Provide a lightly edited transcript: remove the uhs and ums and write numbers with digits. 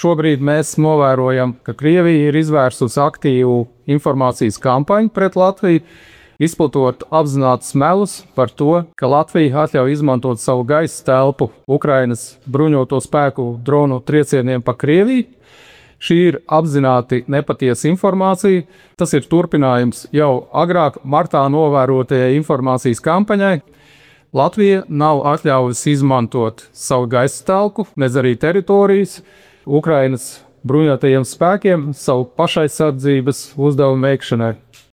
šobrīd mēs novērojam, ka Krievija ir izvērsusi aktīvu informācijas kampaņu pret Latviju, izplatot apzinātus melus par to, ka Latvija atļauj izmantot savu gaisa telpu Ukrainas bruņoto spēku dronu triecieniem pa Krieviju. Šī ir apzināti nepatiesa informācija. Tas ir turpinājums jau agrāk martā novērotajai informācijas kampaņai. Latvija nav atļaujusi izmantot savu gaisa telpu, nedz arī teritorijas Ukrainas bruņotajiem spēkiem savu pašaizsardzības uzdevumu veikšanai.